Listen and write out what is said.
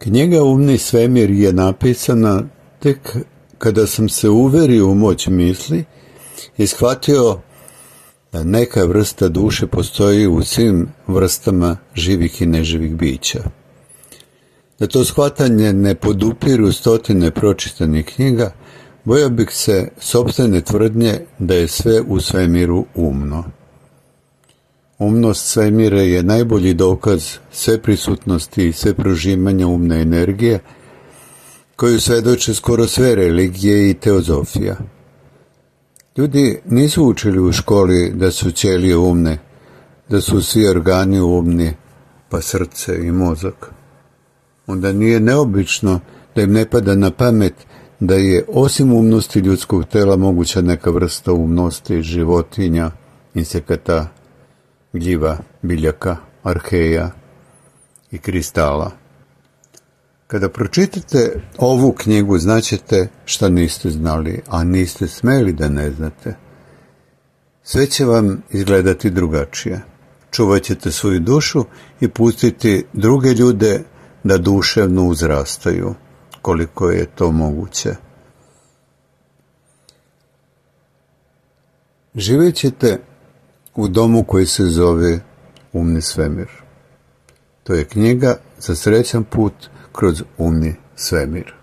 Knjiga Umni svemir je napisana tek kada sam se uverio u moć misli i shvatio da neka vrsta duše postoji u svim vrstama živih i neživih bića. Da to shvatanje ne podupiru stotine pročitanih knjiga, bojao bih se sopstvene tvrdnje da je sve u svemiru umno. Umnost svemira je najbolji dokaz sveprisutnosti i sveprožimanja umne energije, koju svedoče skoro sve religije i teozofija. Ljudi nisu učili u školi da su ćelije umne, da su svi organi umni, pa srce i mozak. Onda nije neobično da im ne pada na pamet da je osim umnosti ljudskog tela moguća neka vrsta umnosti životinja, insekata, gljiva, biljaka, arheja i kristala. Kada pročitate ovu knjigu, znaćete šta niste znali, a niste smeli da ne znate. Sve će vam izgledati drugačije. Čuvat ćete svoju dušu i pustiti druge ljude da duševno uzrastaju, koliko je to moguće. Živjet ćete u domu koji se zove Umni svemir. To je knjiga za srećan put kroz umni svemir.